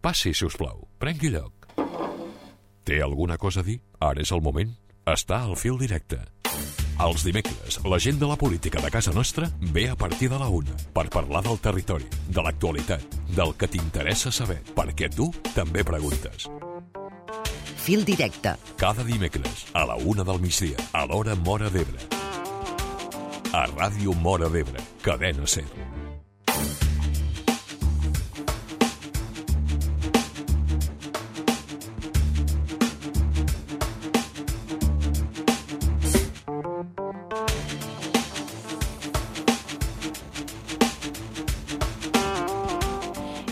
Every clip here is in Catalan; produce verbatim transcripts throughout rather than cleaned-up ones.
Passi, si us plau. Prengui lloc. Té alguna cosa a dir? Ara és el moment. Està al fil directe. Els dimecres, la gent de la política de casa nostra ve a partir de la una per parlar del territori, de l'actualitat, del que t'interessa saber, perquè tu també preguntes. Fil directe. Cada dimecres, a la una del migdia, a l'hora Móra d'Ebre. A Ràdio Móra d'Ebre, Cadena SER.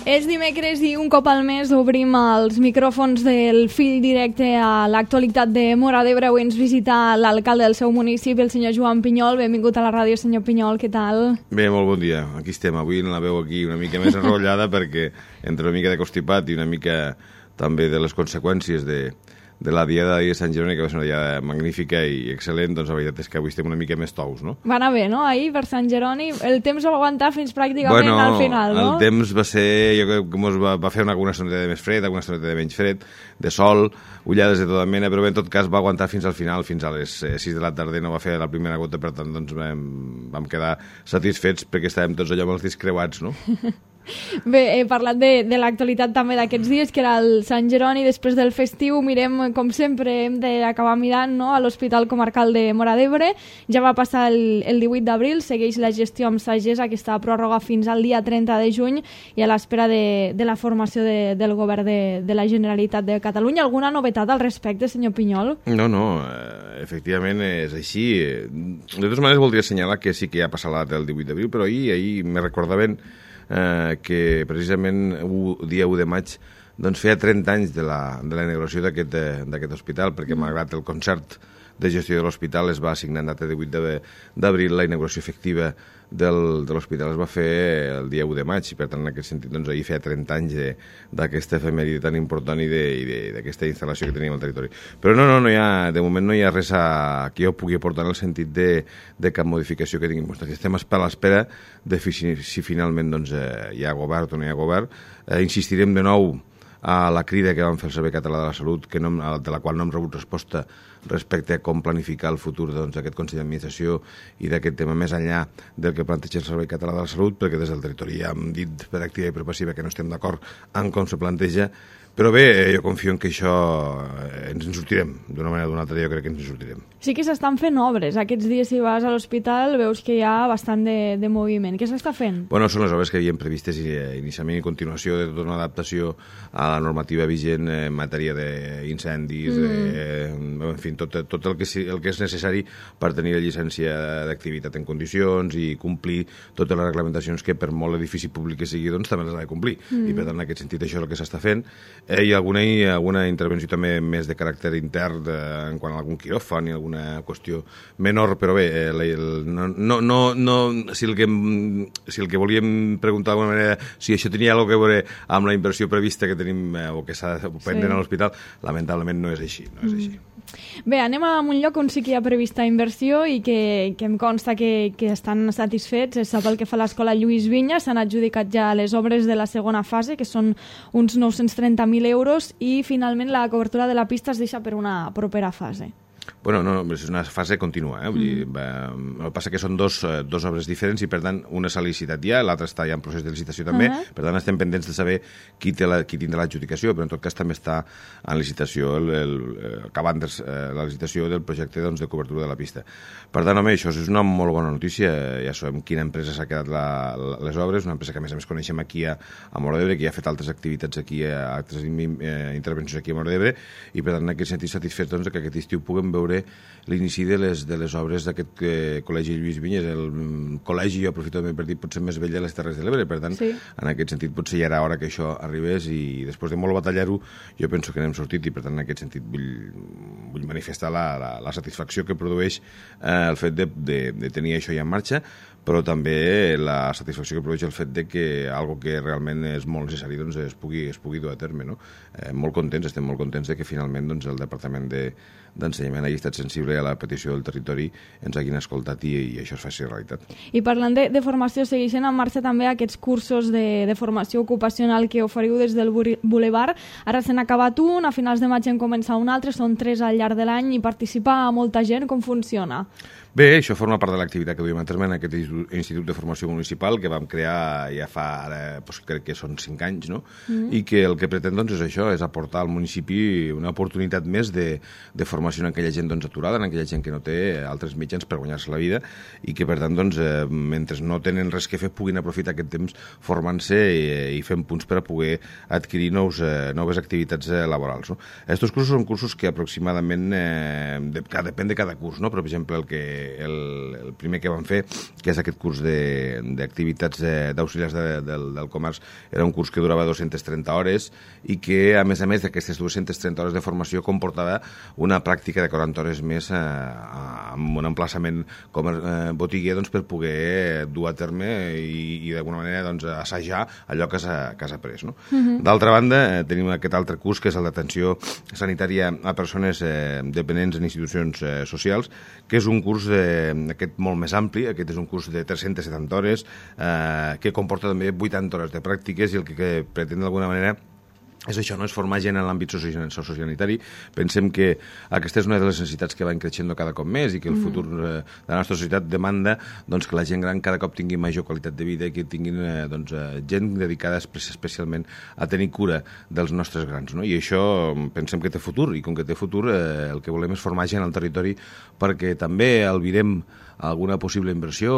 És dimecres i un cop al mes obrim els micròfons del fil directe a l'actualitat de Móra d'Ebre. Avui ens visita l'alcalde del seu municipi, el senyor Joan Pinyol. Benvingut a la ràdio, senyor Pinyol, què tal? Bé, molt bon dia. Aquí estem. Avui la veu aquí una mica més enrotllada perquè entre una mica de constipat i una mica també de les conseqüències de, de la diada de Sant Jeroni, que va ser una diada magnífica i excel·lent, doncs la veritat és que avui estem una mica més tous, no? Va anar bé, no? Ahir, per Sant Jeroni, el temps va aguantar fins pràcticament bueno, al final, no? El temps va ser, jo crec que mos va, va fer una, una estoneta de més fred, una estoneta de menys fred, de sol, ullades de tota mena, però bé, en tot cas va aguantar fins al final, fins a les sis de la tarda, no va fer la primera gota, per tant, doncs vam, vam quedar satisfets perquè estàvem tots allò amb els dits creuats, no? Bé, he parlat de, de l'actualitat també d'aquests dies, que era el Sant Jeroni. Després del festiu mirem, com sempre, hem d'acabar mirant, no?, a l'Hospital Comarcal de Móra d'Ebre. Ja va passar el, el divuit d'abril, segueix la gestió amb sagessa, aquesta pròrroga fins al dia trenta de juny, i a l'espera de, de la formació de, del govern de, de la Generalitat de Catalunya. Alguna novetat al respecte, senyor Pinyol? No, no, eh, efectivament és així. De totes maneres, voldria assenyalar que sí que ja ha passat la data del divuit d'abril, però ahir, ahir me recordaven Eh, que precisament el dia u de maig doncs feia trenta anys de la, de la inauguració d'aquest d'aquest hospital, perquè mm. malgrat el concert de gestió de l'hospital es va assignar en data divuit d'abril, la inauguració efectiva del, de l'hospital es va fer el dia u de maig, i per tant en aquest sentit doncs, ahir feia trenta anys d'aquesta efemèride tan important i d'aquesta instal·lació que teníem al territori. Però no, no, no hi ha, de moment no hi ha res a, que jo pugui aportar en el sentit de, de cap modificació que tinguem. Estem a l'espera de si, si finalment doncs, eh, hi ha govern o no hi ha govern. Eh, insistirem de nou a la crida que vam fer el Servei Català de la Salut, que no, de la qual no hem rebut resposta respecte a com planificar el futur d'aquest doncs, Consell d'Administració i d'aquest tema més enllà del que planteja el Servei Català de la Salut, perquè des del territori ja hem dit per activa i per passiva que no estem d'acord en com se planteja. Però bé, jo confio en que això ens en sortirem. D'una manera o d'una altra jo crec que ens en sortirem. Sí que s'estan fent obres. Aquests dies si vas a l'hospital veus que hi ha bastant de, de moviment. Què s'està fent? Bueno, són les obres que havíem previstes inicialment i continuació de tota una adaptació a la normativa vigent en matèria d'incendis, mm. en fi, tot, tot el, que, el que és necessari per tenir la llicència d'activitat en condicions i complir totes les reglamentacions que per molt edifici públic que sigui doncs també les ha de complir. Mm. I per tant en aquest sentit això és el que s'està fent. Eh, hi ha alguna, alguna intervenció també més de caràcter intern de, en quant a algun quiròfan i alguna qüestió menor, però bé, eh, el, no, no, no, no, si, el que, si el que volíem preguntar d'alguna manera si això tenia alguna cosa a veure amb la inversió prevista que tenim eh, o que s'ha pendent sí. a l'hospital, lamentablement no és així. No és així. Mm. Bé, anem a un lloc on sí que hi ha prevista inversió i que, que em consta que, que estan satisfets. És pel que fa a l'escola Lluís Vinya, s'han adjudicat ja les obres de la segona fase, que són uns nou-cents trenta mil euros, i finalment la cobertura de la pista es deixa per una propera fase. Bueno, no, és una fase contínua, eh? Vull dir, mm. el que passa que són dos, dos obres diferents i per tant una s'ha licitat ja, l'altra està ja en procés de licitació també, uh -huh. per tant estem pendents de saber qui, té la, qui tindrà l'adjudicació, però en tot cas també està en licitació el, el, el, acabant de, la licitació del projecte doncs, de cobertura de la pista. Per tant, home, això és una molt bona notícia, ja sabem quina empresa s'ha quedat la, la, les obres, una empresa que a més a més coneixem aquí a, a Móra d'Ebre, que ja ha fet altres activitats aquí, altres eh, intervencions aquí a Móra d'Ebre, i per tant en aquest sentit satisfets doncs, que aquest estiu puguem veure l'inici de les, de les obres d'aquest eh, col·legi Lluís Vinyes, el col·legi, jo aprofito també per dir, potser més vell de les Terres de l'Ebre, per tant, sí. en aquest sentit potser ja era hora que això arribés i després de molt batallar-ho, jo penso que n'hem sortit i per tant en aquest sentit vull, vull manifestar la, la, la satisfacció que produeix eh, el fet de, de, de tenir això ja en marxa. però també la satisfacció que produeix el fet de que algo que realment és molt necessari doncs, es, pugui, es pugui dur a terme. No? Eh, molt contents, estem molt contents de que finalment doncs, el Departament de, d'Ensenyament hagi estat sensible a la petició del territori, ens hagin escoltat i, i això es faci realitat. I parlant de, de formació, segueixen en marxa també aquests cursos de, de formació ocupacional que oferiu des del Boulevard. Ara s'han acabat un, a finals de maig en comença un altre, són tres al llarg de l'any i participa molta gent. Com funciona? Bé, això forma part de l'activitat que duim a terme en aquest Institut de Formació Municipal que vam crear ja fa, ara, doncs, crec que són cinc anys, no? Mm. I que el que pretén doncs, és això, és aportar al municipi una oportunitat més de, de formació en aquella gent doncs, aturada, en aquella gent que no té altres mitjans per guanyar-se la vida i que, per tant, doncs, eh, mentre no tenen res que fer, puguin aprofitar aquest temps formant-se i, i fent punts per a poder adquirir nous, eh, noves activitats eh, laborals. No? Estos cursos són cursos que aproximadament, eh, de, que depèn de cada curs, no? Per exemple, el que El, el primer que vam fer, que és aquest curs d'activitats d'auxiliars de, del, del comerç, era un curs que durava dues-centes trenta hores i que, a més a més d'aquestes dues-centes trenta hores de formació, comportava una pràctica de quaranta hores més eh, amb un emplaçament com eh, botiguer doncs, per poder dur a terme i, i d'alguna manera doncs, assajar allò que s'ha après. No? Uh-huh. D'altra banda, eh, tenim aquest altre curs, que és el d'atenció sanitària a persones eh, dependents en institucions eh, socials, que és un curs eh, aquest molt més ampli. Aquest és un curs de tres-centes setanta hores eh, que comporta també vuitanta hores de pràctiques i el que, que pretén d'alguna manera és això, no? És formar gent en l'àmbit sociosanitari. Pensem que aquesta és una de les necessitats que van creixent cada cop més i que el futur eh, de la nostra societat demanda doncs, que la gent gran cada cop tingui major qualitat de vida i que tinguin eh, doncs, eh, gent dedicada especialment a tenir cura dels nostres grans. No? I això pensem que té futur i com que té futur eh, el que volem és formar gent al territori perquè també albirem alguna possible inversió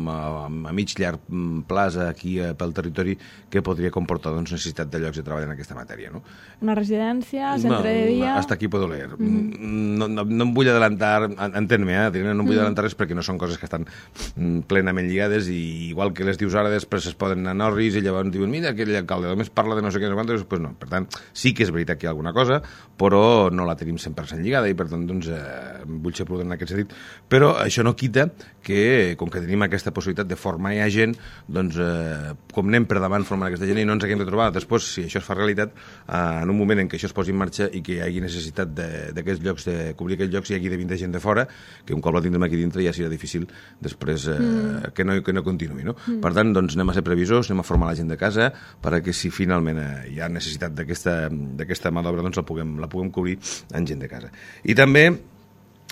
a, a mig llarg plaç aquí eh, pel territori que podria comportar doncs, necessitat de llocs de treball en aquesta matèria. No? Una residència, centre no, de dia... Hasta aquí puedo leer. Mm. No, no, no em vull adelantar, entén-me, eh, no em vull mm. adelantar res perquè no són coses que estan plenament lligades i igual que les dius ara després es poden anar a Norris i llavors diuen mira aquell alcalde només parla de no sé què, no sé quantos, pues no. Per tant, sí que és veritat que hi ha alguna cosa, però no la tenim cent per cent lligada i per tant doncs, eh, vull ser prudent en aquest sentit. Però això no quita que, com que tenim aquesta possibilitat de formar ja gent, doncs, eh, com anem per davant formant aquesta gent i no ens haguem de trobar després, si això es fa realitat, eh, en un moment en què això es posi en marxa i que hi hagi necessitat d'aquests llocs, de cobrir aquests llocs, i hi hagi de vindre gent de fora, que un cop la tindrem aquí dintre ja serà difícil després eh, mm. que, no, que no continuï. No? Mm. Per tant, doncs, anem a ser previsors, anem a formar la gent de casa perquè si finalment eh, hi ha necessitat d'aquesta mà d'obra, doncs la puguem, la puguem cobrir en gent de casa. I també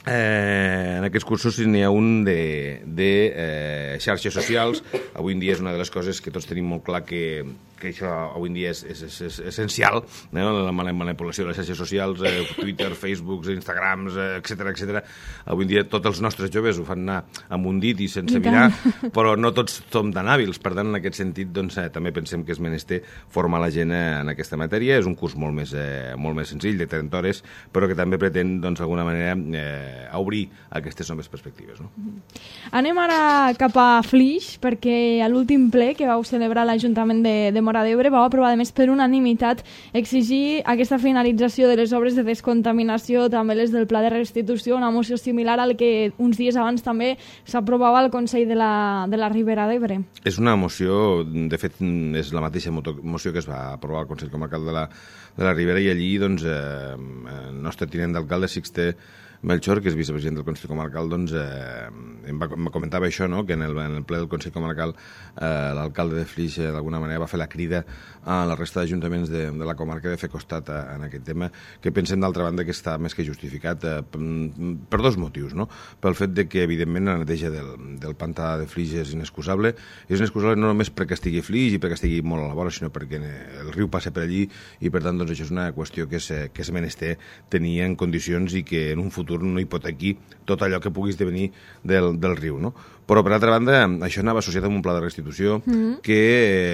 Eh, en aquests cursos n'hi ha un de, de eh, xarxes socials. Avui en dia és una de les coses que tots tenim molt clar que, que això avui en dia és, és, és, és essencial, eh? La manipulació de les xarxes socials, eh, Twitter, Facebook, Instagrams, eh, etcètera, etcètera. Avui en dia tots els nostres joves ho fan anar amb un dit i sense I mirar, però no tots som tan hàbils. Per tant, en aquest sentit, doncs, eh, també pensem que és menester formar la gent eh, en aquesta matèria. És un curs molt més, eh, molt més senzill, de trenta hores, però que també pretén, doncs, d'alguna manera, eh, a obrir aquestes noves perspectives. No? Anem ara cap a Flix, perquè a l'últim ple que vau celebrar l'Ajuntament de, de Móra d'Ebre vau aprovar, a més, per unanimitat exigir aquesta finalització de les obres de descontaminació, també les del pla de restitució, una moció similar al que uns dies abans també s'aprovava al Consell de la, de la Ribera d'Ebre. És una moció, de fet, és la mateixa moció que es va aprovar al Consell Comarcal de la, de la Ribera i allí, doncs, eh, el nostre tinent d'alcalde, Sixte Melchor, que és vicepresident del Consell Comarcal, doncs, eh, em, va, em comentava això, no? Que en el, en el ple del Consell Comarcal eh, l'alcalde de Flix eh, d'alguna manera va fer la crida a la resta d'ajuntaments de, de la comarca de fer costat a, en aquest tema, que pensem d'altra banda que està més que justificat eh, per dos motius, no? Pel fet de que evidentment la neteja del, del pantà de Flix és inexcusable, és inexcusable no només perquè estigui Flix i perquè estigui molt a la vora, sinó perquè el riu passa per allí i per tant doncs, això és una qüestió que és, que és menester tenir en condicions i que en un futur no hipotequi tot allò que pugui esdevenir del, del riu, no? Però, per altra banda, això anava associat amb un pla de restitució mm-hmm. que,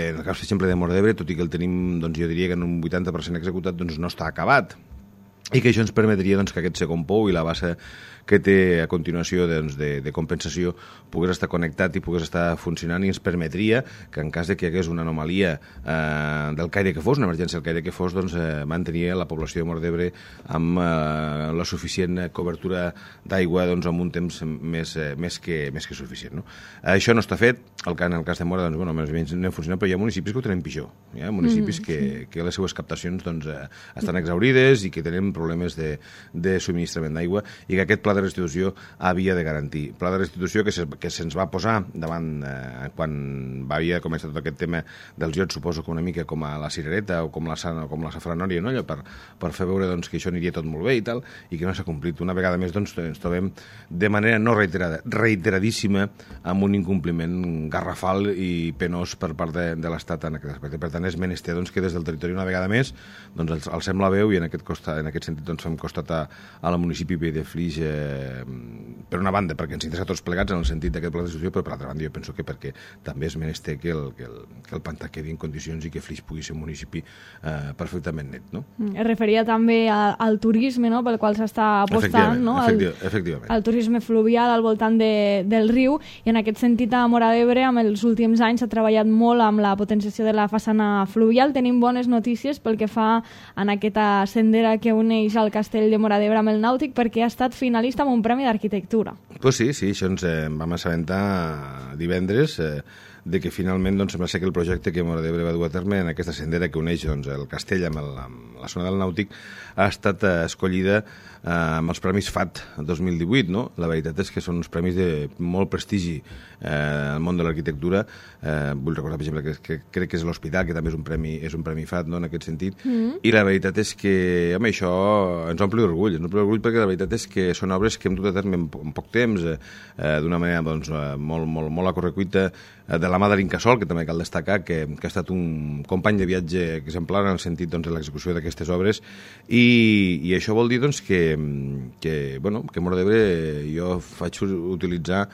en el cas, per exemple, de Móra d'Ebre, tot i que el tenim, doncs, jo diria que en un vuitanta per cent executat, doncs no està acabat. i que això ens permetria doncs, que aquest segon pou i la base que té a continuació doncs, de, de compensació pogués estar connectat i pogués estar funcionant i ens permetria que en cas de que hi hagués una anomalia eh, del caire que fos, una emergència del caire que fos, doncs eh, mantenir la població de Móra d'Ebre amb eh, la suficient cobertura d'aigua doncs, amb un temps més, eh, més, que, més que suficient. No? Això no està fet, el, en el cas de Móra doncs, bueno, més o menys no funciona, però hi ha municipis que ho tenen pitjor. Hi ha municipis mm, que, sí. que les seues captacions doncs, eh, estan exaurides i que tenen problemes de, de subministrament d'aigua i que aquest pla de restitució havia de garantir. Pla de restitució que, se, que se'ns va posar davant eh, quan va havia començat tot aquest tema dels iots, suposo que una mica com a la cirereta o com la, o com la safranòria, no? Allò per, per fer veure doncs, que això aniria tot molt bé i tal, i que no s'ha complit. Una vegada més doncs, ens trobem de manera no reiterada, reiteradíssima amb un incompliment garrafal i penós per part de, de l'Estat en aquest aspecte. Per tant, és menester doncs, que des del territori una vegada més doncs, alcem la veu i en aquest, costa, en aquest sentit doncs, fem costat a, a la municipi de Flix eh, per una banda, perquè ens interessa tots plegats en el sentit d'aquest pla de restitució, però per altra banda jo penso que perquè també és menester que el, que el, que el pantà quedi en condicions i que Flix pugui ser un municipi eh, perfectament net. No? Es referia també a, al turisme, no?, pel qual s'està apostant, no? Efectiva, efectivament. Al turisme fluvial al voltant de, del riu, i en aquest sentit a Móra d'Ebre amb els últims anys s'ha treballat molt amb la potenciació de la façana fluvial. Tenim bones notícies pel que fa en aquesta sendera que uneix el castell de Móra d'Ebre amb el Nàutic, perquè ha estat finalista amb un premi d'arquitectura. Pues sí, sí, això ens eh, vam assabentar divendres eh, de que finalment doncs, sembla ser que el projecte que Móra d'Ebre va dur a terme en aquesta sendera que uneix doncs, el castell amb, el, amb la zona del Nàutic ha estat eh, escollida eh, amb els Premis F A T dos mil divuit. No? La veritat és que són uns premis de molt prestigi eh, al món de l'arquitectura. Eh, vull recordar, per exemple, que, que crec que és l'Hospital, que també és un premi, és un premi F A T, no? En aquest sentit. Mm. I la veritat és que, home, això ens omple d'orgull. Ens omple d'orgull perquè la veritat és que són obres que hem dut a terme en, en poc temps, eh, d'una manera doncs, molt, molt, molt a correcuita, eh, de la mà de l'Incasòl, que també cal destacar que, que ha estat un company de viatge exemplar en el sentit doncs, de l'execució d'aquestes obres, i, i això vol dir doncs, que, que, bueno, que Móra d'Ebre jo faig utilitzar,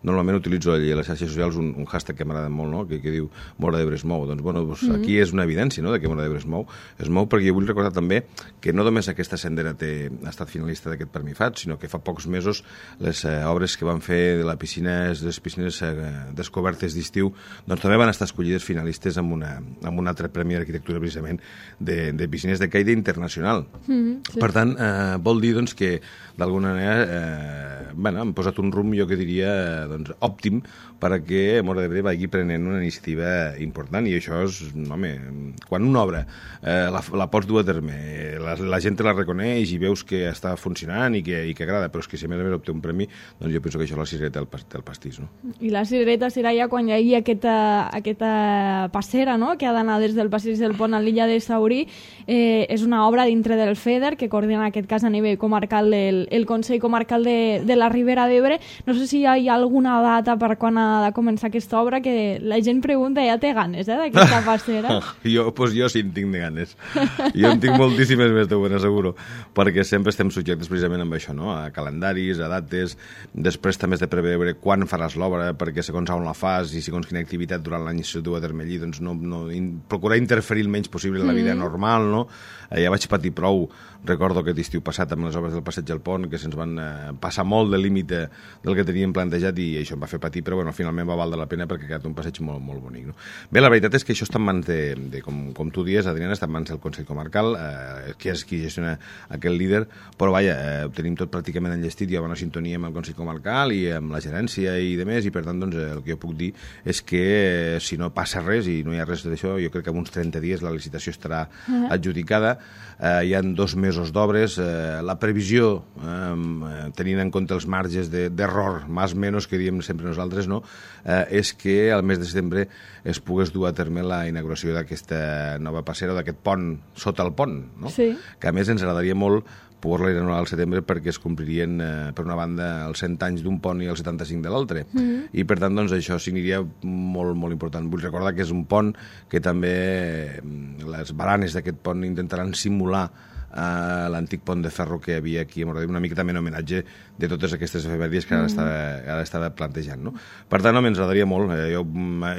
normalment utilitzo a les xarxes socials un, un hashtag que m'agrada molt, no? que, que diu Móra d'Ebre es mou. Doncs, bueno, doncs, mm-hmm. aquí és una evidència, no?, de que Móra d'Ebre es mou. Es mou perquè jo vull recordar també que no només aquesta sendera té, ha estat finalista d'aquest Premi F A T, sinó que fa pocs mesos les eh, obres que van fer de la piscina, les piscines eh, descobertes d'estiu, doncs també van estar escollides finalistes amb, una, amb un altre premi d'arquitectura precisament de, de piscines de caire internacional. Mm-hmm, sí. Per tant, eh, vol dir doncs, que d'alguna manera eh, bueno, hem posat un rumb, jo que diria, eh, doncs, òptim perquè Móra d'Ebre vagi prenent una iniciativa important, i això és, home, quan una obra eh, la, la pots dur a terme, la, la gent te la reconeix i veus que està funcionant i que, i que agrada, però és que si a més a més obté un premi, doncs jo penso que això és la cirereta del, del pastís. No? I la cirereta serà ja quan hi hagi aquesta, aquesta passera, no?, que ha d'anar des del passeig del Pont a l'illa de Saurí. Eh, és una obra dintre del FEDER, que coordina en aquest cas a nivell comarcal del el Consell Comarcal de, de la Ribera d'Ebre. No sé si hi ha alguna data per quan ha de començar aquesta obra, que la gent pregunta, ja té ganes, eh, d'aquesta passera. jo, pues jo sí en tinc de ganes. Jo en tinc moltíssimes més, t'ho ben asseguro, perquè sempre estem subjectes precisament amb això, no?, a calendaris, a dates, després també has de preveure quan faràs l'obra, perquè segons on la fas i segons quina activitat durant l'any s'ho du a terme allí, doncs no, no, in, procurar interferir el menys possible en la vida mm. normal, no? Eh, ja vaig patir prou, recordo aquest estiu passat amb les obres del Passeig del Pont, que se'ns van eh, passar molt del límit del que teníem plantejat, i això em va fer patir, però bueno, finalment va valdre la pena perquè ha quedat un passeig molt, molt bonic. No? Bé, la veritat és que això està en mans de, de com, com tu dies, Adriana, està en mans del Consell Comarcal, eh, que és qui gestiona aquest líder, però vaja, eh, ho tenim tot pràcticament enllestit, hi ha bona sintonia amb el Consell Comarcal i amb la gerència i demés, i per tant doncs, el que jo puc dir és que eh, si no passa res i no hi ha res d'això, jo crec que en uns trenta dies la licitació estarà uh-huh. adjudicada. Eh, hi ha dos mesos d'obres, eh, la previsió, eh, tenint en compte els marges d'error, de, més o menys que diem sempre nosaltres, no? eh, és que al mes de setembre es pogués dur a terme la inauguració d'aquesta nova passera, d'aquest pont sota el pont, no? Sí. Que a més ens agradaria molt poder-la inaugurar al setembre perquè es complirien, eh, per una banda, els cent anys d'un pont i els setanta-cinc de l'altre. Mm-hmm. I, per tant, doncs, això significaria molt, molt important. Vull recordar que és un pont que també les baranes d'aquest pont intentaran simular a l'antic pont de ferro que hi havia aquí a Móra d'Ebre, una mica també en homenatge de totes aquestes efemèries que ara, mm. estava, ara estava plantejant. No? Per tant, home, ens agradaria molt. Eh, jo,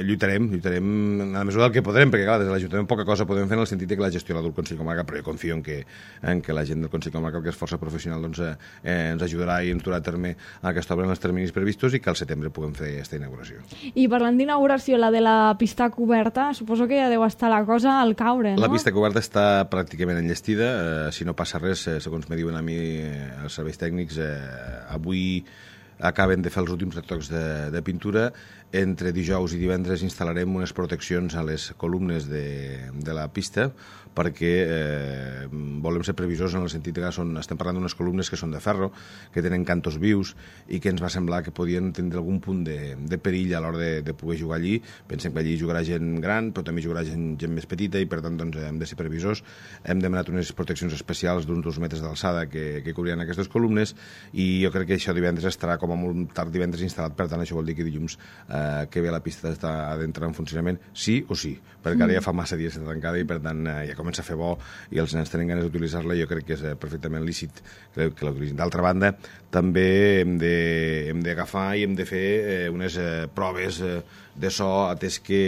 lluitarem, lluitarem a la mesura del que podrem, perquè clar, des de l'Ajuntament poca cosa podem fer en el sentit que la gestió la del Consell Comarcal, però jo confio en que, en que la gent del Consell Comarcal, que és força professional, doncs, eh, ens ajudarà i ens durà a terme aquesta obra en els terminis previstos i que al setembre puguem fer aquesta inauguració. I parlant d'inauguració, la de la pista coberta, suposo que ja deu estar la cosa al caure, no? La pista coberta està pràcticament enllestida. Eh, si no passa res, eh, segons me diuen a mi eh, els serveis tècnics, eh, avui acaben de fer els últims retocs de, de pintura. Entre dijous i divendres instal·larem unes proteccions a les columnes de, de la pista perquè eh, volem ser previsors en el sentit que són, estem parlant d'unes columnes que són de ferro, que tenen cantos vius i que ens va semblar que podien tenir algun punt de, de perill a l'hora de, de poder jugar allí. Pensem que allí jugarà gent gran, però també jugarà gent, gent més petita i per tant doncs, hem de ser previsors. Hem demanat unes proteccions especials d'uns dos metres d'alçada que, que cobriran aquestes columnes i jo crec que això divendres estarà com a molt tard divendres instal·lat, per tant això vol dir que dilluns eh, que ve la pista d'estar d'entrar en funcionament sí o sí, perquè ara ja fa massa dies que està tancada i per tant eh, ja comença a fer bo i els nens tenen ganes d'utilitzar-la i jo crec que és eh, perfectament lícit que, que l'utilitzin. D'altra banda, també hem d'agafar i hem de fer eh, unes eh, proves eh, de so, atès que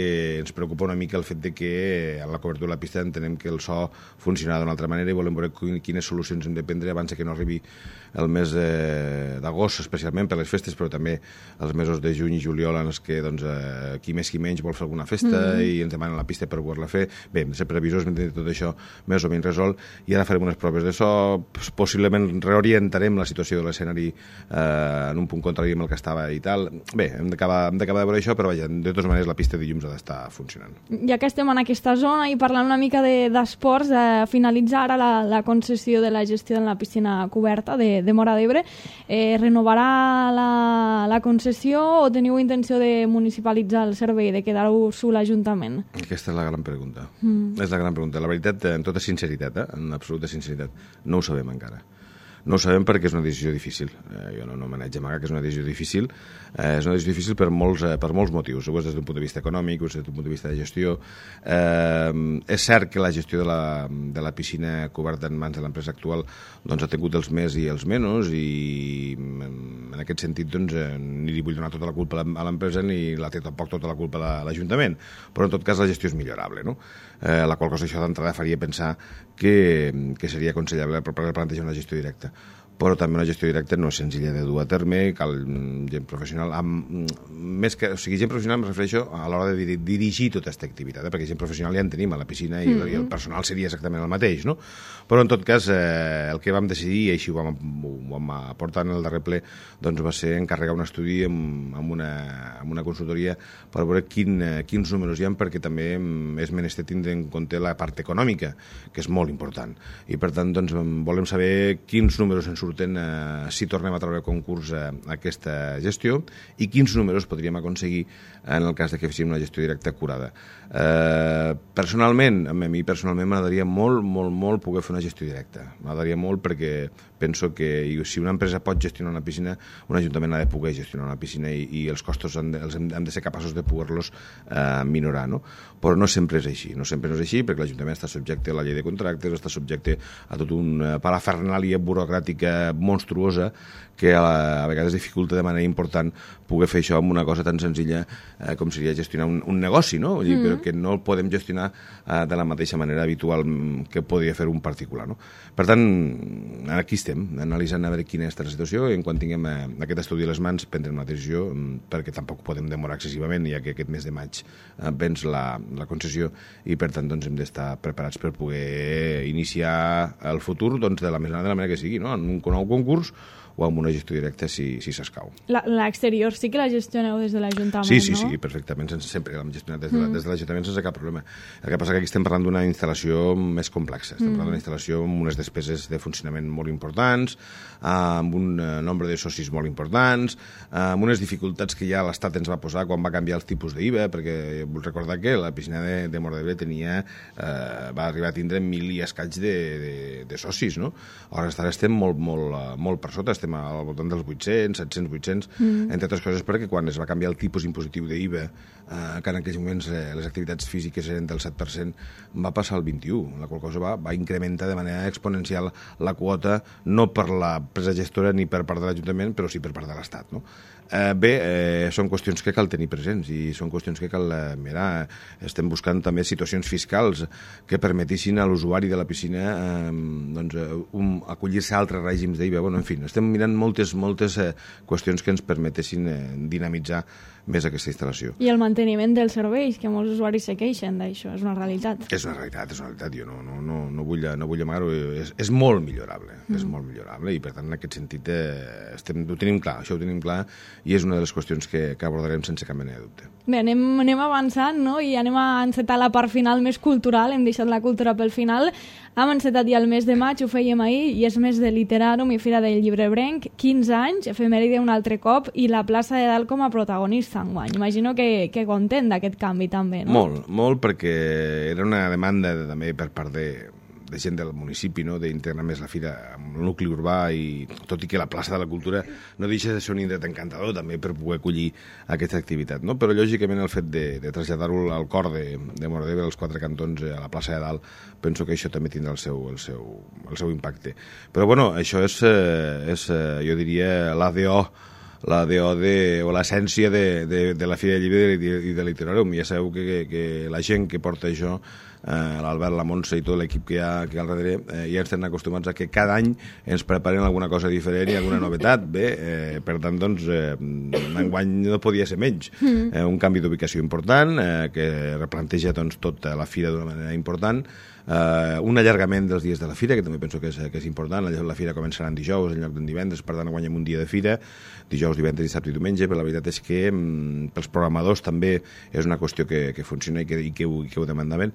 ens preocupa una mica el fet de que a la cobertura de la pista entenem que el so funciona d'una altra manera i volem veure quines solucions hem de prendre abans que no arribi el mes eh, d'agost, especialment per les festes, però també els mesos de juny i juliol en els que doncs, eh, qui més qui menys vol fer alguna festa mm. i ens demanen la pista per poder-la fer. Bé, hem de ser previsors, hem de tenir tot això més o menys resolt i ara farem unes proves de so, possiblement reorientarem la situació de l'escenari eh, en un punt contrari amb el que estava i tal. Bé, hem d'acabar de veure això, però vaja, de totes maneres la pista de dilluns ha d'estar funcionant. Ja que estem en aquesta zona i parlant una mica d'esports, de, eh, finalitza ara la, la concessió de la gestió de la piscina coberta de, de Móra d'Ebre. Eh, renovarà la, la concessió o teniu intenció de municipalitzar el servei, de quedar-ho l'Ajuntament? Aquesta és la gran pregunta. Mm. És la gran pregunta. La veritat, en tota sinceritat, eh, en absoluta sinceritat, no ho sabem encara. No ho sabem perquè és una decisió difícil. Eh, jo no, no m'haig d'amagar que és una decisió difícil. Eh, és una decisió difícil per molts, eh, per molts motius. Ho és des d'un punt de vista econòmic, ho és des d'un punt de vista de gestió. Eh, és cert que la gestió de la, de la piscina coberta en mans de l'empresa actual doncs, ha tingut els més i els menys i en aquest sentit doncs, eh, ni li vull donar tota la culpa a l'empresa ni la té tampoc tota la culpa a l'Ajuntament. Però en tot cas la gestió és millorable, no? Eh, la qual cosa això d'entrada faria pensar que, que seria aconsellable per plantejar una gestió directa. Però també una gestió directa no és senzilla de dur a terme, cal gent professional, amb, més que, o sigui, gent professional em refereixo a l'hora de dir, dirigir tota aquesta activitat, eh? Perquè gent professional ja en tenim a la piscina i, mm-hmm. i el personal seria exactament el mateix, no? Però en tot cas, eh, el que vam decidir, i així ho vam, ho vam aportar en el darrer ple, doncs va ser encarregar un estudi amb, amb, una, amb una consultoria per veure quin, quins números hi ha, perquè també és menester tindre en compte la part econòmica, que és molt important. I per tant, doncs, volem saber quins números ens surten eh, si tornem a treure concurs a, a aquesta gestió i quins números podríem aconseguir en el cas de que féssim una gestió directa acurada. Eh, personalment, a mi personalment m'agradaria molt, molt, molt poder fer una gestió directa. M'agradaria molt perquè penso que si una empresa pot gestionar una piscina, un ajuntament ha de poder gestionar una piscina i, i els costos han de, els hem, hem de ser capaços de poder-los eh, minorar, no? Però no sempre és així, no sempre no és així perquè l'Ajuntament està subjecte a la llei de contractes, està subjecte a tot una parafernàlia burocràtica monstruosa que a, la, a vegades dificulta de manera important poder fer això amb una cosa tan senzilla eh, com seria gestionar un, un negoci, no? Vull dir, mm-hmm. però que no el podem gestionar eh, de la mateixa manera habitual que podria fer un particular, no? Per tant, aquí estem, analitzant a veure quina és la situació i en quan tinguem eh, aquest estudi a les mans prendrem una decisió perquè tampoc podem demorar excessivament, ja que aquest mes de maig eh, vens la, la concessió i per tant doncs, hem d'estar preparats per poder iniciar el futur doncs, de la més de la manera que sigui, no? En un nou concurs o amb una gestió directa si, si s'escau. L'exterior sí que la gestioneu des de l'Ajuntament, sí, sí, no? Sí, perfectament, sense, sempre l'hem gestionat des de, mm. des de l'Ajuntament sense cap problema. El que passa que aquí estem parlant d'una instal·lació més complexa, estem mm. parlant d'una instal·lació amb unes despeses de funcionament molt importants, importants, amb un nombre de socis molt importants, amb unes dificultats que ja l'Estat ens va posar quan va canviar els tipus d'I V A, perquè vull recordar que la piscina de, de Móra d'Ebre tenia, eh, va arribar a tindre mil i escaig de, de, de socis, no? Ara estem molt, molt, molt per sota, estem al voltant dels vuit-cents, set-cents, vuit-cents, mm. entre altres coses perquè quan es va canviar el tipus impositiu d'I V A, eh, que en aquells moments eh, les activitats físiques eren del set per cent, va passar al vint-i-u, la qual cosa va, va incrementar de manera exponencial la quota, no per la empresa gestora ni per part de l'Ajuntament, però sí per part de l'Estat, no? Eh, bé, eh, són qüestions que cal tenir presents i són qüestions que cal eh, mirar. Estem buscant també situacions fiscals que permetissin a l'usuari de la piscina eh, doncs, um, acollir-se a altres règims d'I V A. Bueno, en fi, estem mirant moltes, moltes eh, qüestions que ens permetessin eh, dinamitzar més aquesta instal·lació. I el manteniment dels serveis, que molts usuaris se queixen d'això, és una realitat. És una realitat, és una realitat. Jo no, no, no, no vull, no vull amagar-ho. És, és molt millorable, mm. és molt millorable i per tant en aquest sentit eh, estem, ho tenim clar, això ho tenim clar i és una de les qüestions que, que abordarem sense cap mena de dubte. Bé, anem, anem avançant, no? I anem a encetar la part final més cultural, hem deixat la cultura pel final. Hem encetat ja el mes de maig, ho fèiem ahir, i és mes de Literàrum i Fira del Llibrebrenc, quinze anys, efemèride un altre cop, i la plaça de Dalt com a protagonista enguany. Imagino que, que content d'aquest canvi també, no? Molt, molt, perquè era una demanda també per part de, de gent del municipi, no?, d'integrar més la fira amb el nucli urbà, i tot i que la plaça de la Cultura no deixa de ser un indret encantador també per poder acollir aquesta activitat, no? Però lògicament el fet de, de traslladar-ho al cor de, de Móra d'Ebre, als quatre cantons, a la plaça de Dalt, penso que això també tindrà el seu, el seu, el seu impacte. Però bueno, això és, és jo diria, l'A D O la D O de, o l'essència de, de, de la Fira del Llibre i de, i de Literàrum. Ja sabeu que, que, que la gent que porta això, eh, l'Albert, la Montse i tot l'equip que hi ha, que hi ha al darrere, eh, ja estem acostumats a que cada any ens preparen alguna cosa diferent i alguna novetat. Bé, eh, per tant, doncs, eh, enguany no podia ser menys. Eh, un canvi d'ubicació important, eh, que replanteja doncs, tota la fira d'una manera important, Uh, un allargament dels dies de la fira, que també penso que és, que és important. La, la fira començarà en dijous en lloc d'en divendres, per tant guanyem un dia de fira, dijous, divendres, dissabte i diumenge, però la veritat és que mm, pels programadors també és una qüestió que, que funciona i que, i que, ho, i que ho demandaven.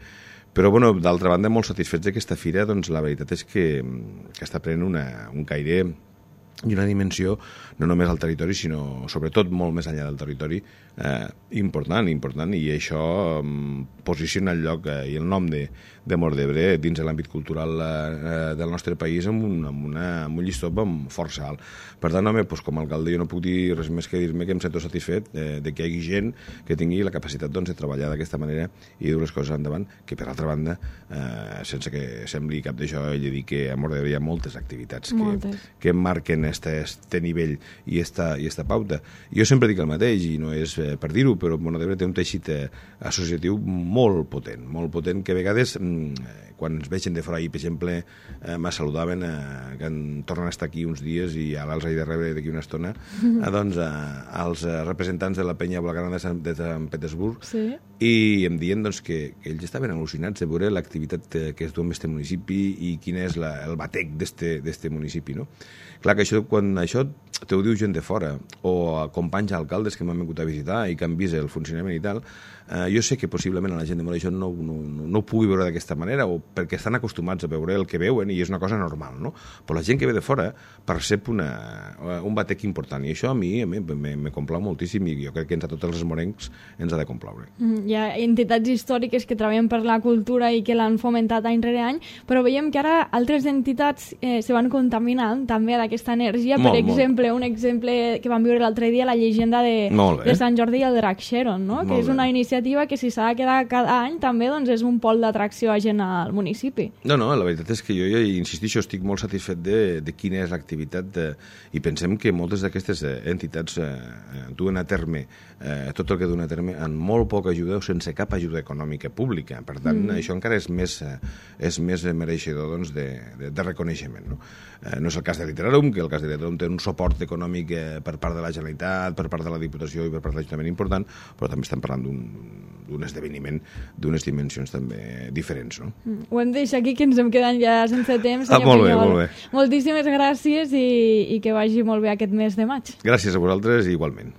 Però, bueno, d'altra banda, molt satisfets d'aquesta fira, doncs la veritat és que, que està prenent una, un caire i una dimensió, no només al territori, sinó sobretot molt més enllà del territori, eh, important, important, i això eh, posiciona el lloc eh, i el nom de, de Móra d'Ebre dins de l'àmbit cultural eh, del nostre país amb un, amb una, amb un llistó amb força alt. Per tant, home, doncs, com a alcalde jo no puc dir res més que dir-me que em sento satisfet eh, de que hi hagi gent que tingui la capacitat doncs, de treballar d'aquesta manera i dur les coses endavant, que per altra banda, eh, sense que sembli cap d'això, he de dir que a Móra d'Ebre hi ha moltes activitats moltes. que, que marquen este, este nivell i esta, i esta pauta. Jo sempre dic el mateix, i no és eh, per dir-ho, però Móra d'Ebre té un teixit eh, associatiu molt potent, molt potent, que a vegades, mm, quan ens vegen de fora, i per exemple, eh, me saludaven, eh, que en, tornen a estar aquí uns dies i ara els he de rebre d'aquí una estona, eh, doncs, eh, els representants de la penya blaugrana de Sant, de Sant Petersburg, sí. I em diuen doncs, que, que ells estaven al·lucinats de veure l'activitat que es du en aquest municipi i quin és la, el batec d'este municipi, no? Clar que això, quan això t'ho diu gent de fora, o companys alcaldes que m'han vingut a visitar i que han vist el funcionament i tal, eh, jo sé que possiblement a la gent de Móra això no, no, no, no ho pugui veure d'aquesta manera, o perquè estan acostumats a veure el que veuen i és una cosa normal, no? Però la gent que ve de fora percep una, un batec important, i això a mi, a mi me, me complau moltíssim, i jo crec que ens a tots els morencs ens ha de complaure. Mm, hi ha entitats històriques que treballen per la cultura i que l'han fomentat any rere any, però veiem que ara altres entitats eh, se van contaminant també d'aquesta energia. Molt, per exemple, molt. Un exemple que vam viure l'altre dia, la llegenda de, de Sant Jordi i el Drac Xeron, no? Que és una iniciativa que si s'ha de quedar cada any també doncs, és un pol d'atracció a gent al municipi. No, no, la veritat és que jo, jo insistixo, estic molt satisfet de, de quina és l'activitat de, i pensem que moltes d'aquestes entitats eh, duen a terme eh, tot el que duen a terme amb molt poca ajuda o sense cap ajuda econòmica pública. Per tant, mm. això encara és més, eh, és més mereixedor doncs, de, de, de reconeixement. No? Eh, no és el cas de Literàrum, que el cas de Literàrum té un suport econòmic eh, per part de la Generalitat, per part de la Diputació i per part de l'Ajuntament important, però també estem parlant d'un esdeveniment d'unes dimensions també diferents. No? Mm. Ho hem de deixar aquí, que ens hem quedat ja sense temps. Ah, molt bé, molt bé. Moltíssimes gràcies i, i que vagi molt bé aquest mes de maig. Gràcies a vosaltres i igualment.